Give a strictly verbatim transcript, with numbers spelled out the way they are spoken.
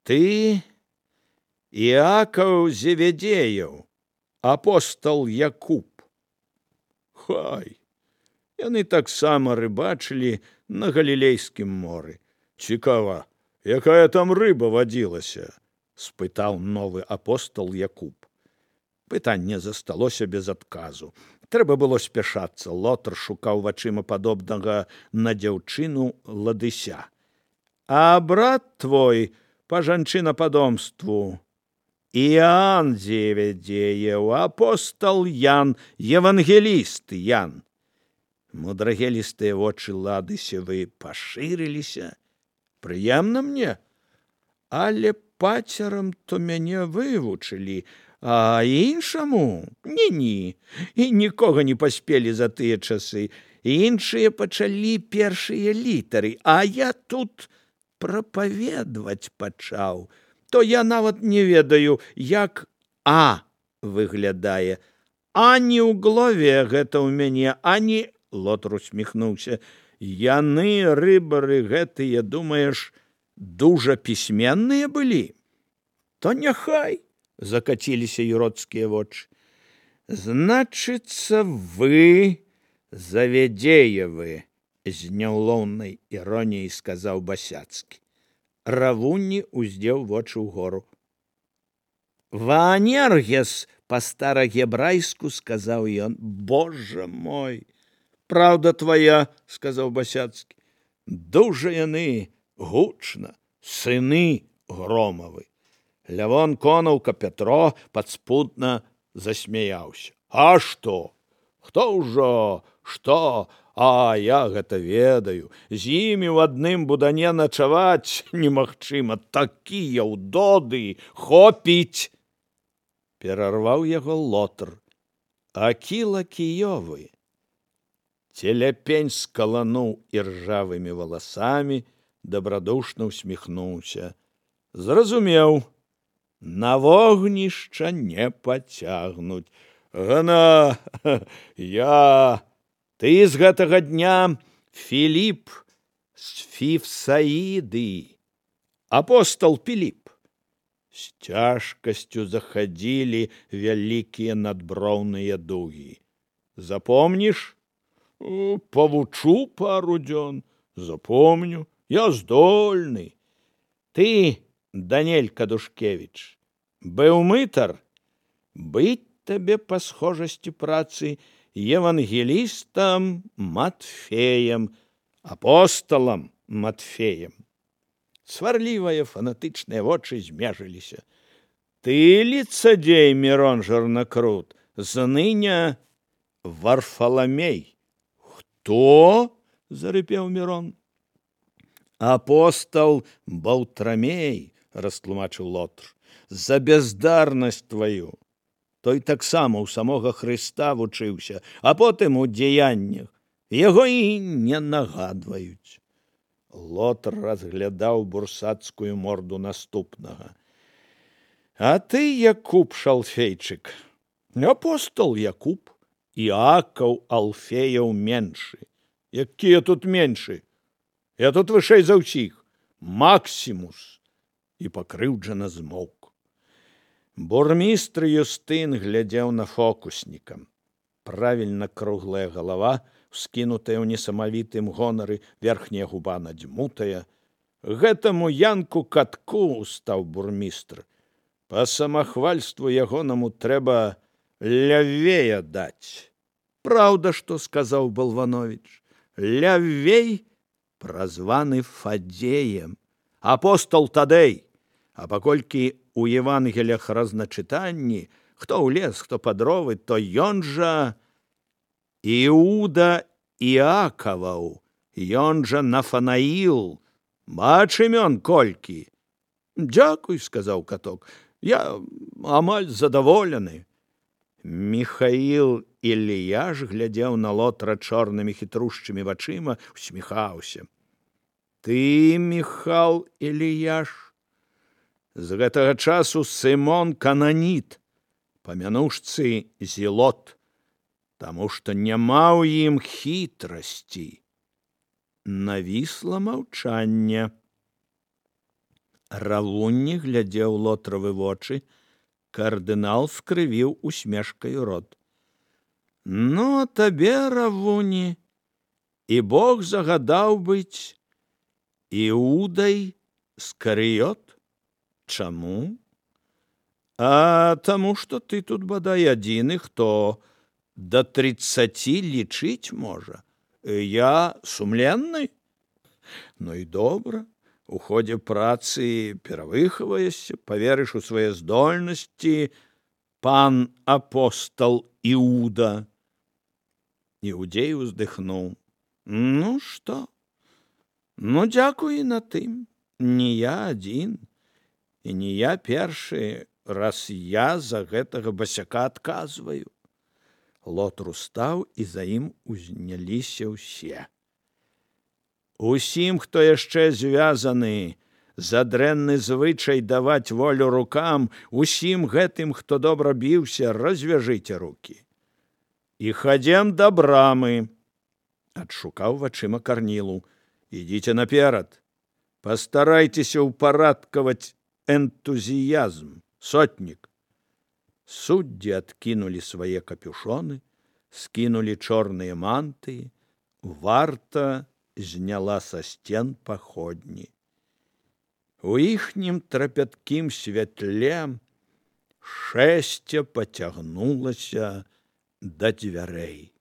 Ты Іакаў Зеведеяў, апостол Якуб. Хай, яны таксама рыбачылі на Галілейскім моры. Цікава, якая там рыба вадзілася? Спытаў новы апостол Якуб. Пытанне засталося без адказу. Трэба было спяшацца. Лотар шукаў вачыма падобнага на дзяўчыну Ладыся. А брат твой па жанчынападомству Іоанн Зеведеяў, апостол Ян, евангеліст Ян. Мудрагелістыя вочы Ладысевы пашырыліся. Прыемна мне, але пацерам то мяне вывучылі, а іншаму ні-ні, і нікога не паспелі за тыя часы. Іншыя пачалі першыя літары, а я тут прапаведваць пачаў. То я нават не ведаю, як А выглядае. Ані ў главе гэта ў мяне, ані... Лотар усміхнуўся. Яны, рыбары гэтыя, думаеш, дужа пісьменныя былі? То няхай, закаціліся юродскія вочы. Значыцца, вы Заведеевы, з няўлоўнай іроніяй сказаў Басяцкі. Равунні уздзеў вочы ўгору. Ваанергес, па-старагебрайску сказаў ён. Божа мой! Праўда твая, сказаў Басяцкі. Дужа яны гучна, сыны Громавы. Лявон Конаўка Пятро падспудна засмяяўся. А што? Хто ўжо? Што? А я гэта ведаю. З імі ў адным будане начаваць немагчыма. Такія ўдоды, хопіць! Перарваў яго Лотар. Акіла Кіёвы. Целяпень скалануў іржавымі валасамі, дабрадушна усміхнуўся. Зразумеў, на вогнішча не пацягнуць. Гана, я... Ты з гэтага дня Філіп з Фівсаіды, апостол Піліп. З цяжкасцю захадзілі вялікія надброўныя дугі. Запомніш? Павучу пару дзён. Запомню. Я здольны. Ты, Данель Кадушкевіч, быў мытар? Быць табе па схожасці працы евангелістам Матфеем, апостолам Матфеем. Сварлівыя фанатычныя вочы змежыліся. Ты лицадзей, Мірон Жарнакрут, зныня Варфаламей. Хто? Зарыпеў Мірон. Апостол Баўтрамей, растлумачыў Лотар, за бяздарнасць тваю. Той таксама ў самога Хрыста вучыўся, а потым у дзеяннях. Яго і не нагадваюць. Лотар разглядаў бурсацкую морду наступнага. А ты, Якуб Шалфейчык, апостол Якуб, Іакаў Алфеяў меншы. Якія тут меншы? Я тут вышэй за ўсіх. Максімус. І пакрыўджана змоўк. Бурмістр Юстын глядзеў на фокусніка. Правільна круглая галава, скінутая ў несамавітым гонары, верхняя губа надзьмутая. Гэтаму Янку Катку, стаў бурмістр. Па самахвальству ягонаму трэба лявей даць. Праўда, што сказаў Балванович. Лявей празваны Фадзеем. Апостол Тадэй. А паколькі у Евангелях разначытанні, хто ў лес, хто па дровы, то ён жа Іуда Іакаваў, ён жа Нафанаіл. Бач імён колькі. Дзякуй, сказаў Каток, я амаль задаволены. Міхаіл Іліяш глядзеў на Лотара чорнымі хітрушчымі вачыма, усміхаўся. Ты, Міхал Іліяш, з гэтага часу Сымон Кананіт, памянушцы Зілот, таму што няма ў ім хітрасці. Навісла маўчанне. Равунні глядзеў лотравы вочы. Кардынал скрывіў усмешкаю рот. Ну, а табе, Равуні, і Бог загадаў быць Іудай Скарыёт? Чаму? А таму, што ты тут бадай адзіны, хто да трыццаці лічыць можа. Я сумленны? Ну і добра. У ходзе працы перавыхаваешся, паверыш у свае здольнасці, пан апостал Іуда. Іудзей уздыхнуў. Ну што? Ну, дзякуй на тым. Не я адзін, і не я першы, раз я за гэтага басяка адказваю. Лотар устаў, і за ім узняліся ўсе. Усім, хто яшчэ звязаны за дрэнны звычай даваць волю рукам, усім гэтым, хто добра біўся, развяжыце рукі. І хадзем да брамы. Адшукаў вачыма Карнілу. Ідзіце наперад. Пастарайцеся ўпарадкаваць энтузіязм. Сотнік. Суддзі адкінулі свае капюшоны, скінулі чорныя мантыі. Варта зняла са сцен паходні. У іхнім трапяткім святле шэсце пацягнулася да дзвярэй.